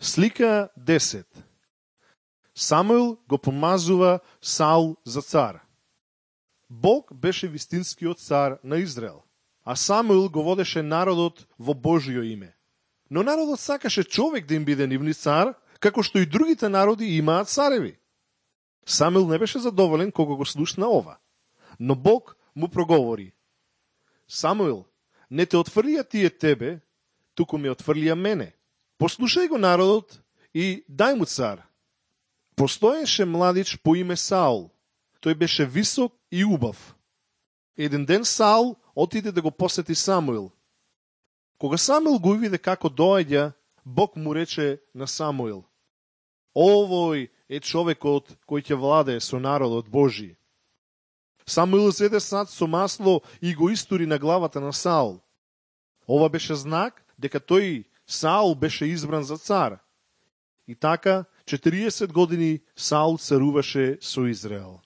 Слика 10. Самуил го помазува Саул за цар. Бог беше вистинскиот цар на Израел, а Самуил го водеше народот во Божјо име. Но народот сакаше човек да им биде нивни цар, како што и другите народи имаат цареви. Самуил не беше задоволен кога го слушна ова, но Бог му проговори: Самуил, не те отфрлија тие тебе, туку ме отфрлија мене. Послушај го народот и дај му цар. Постоеше младич по име Саул. Тој беше висок и убав. Еден ден Саул отиде да го посети Самуил. Кога Самуил го виде како доаѓа, Бог му рече на Самуил: Овој е човекот кој ќе владее со народот Божи. Самуил зеде сад со масло и го истури на главата на Саул. Ова беше знак дека тој Саул беше избран за цар. И така 40 години Саул царуваше со Израел.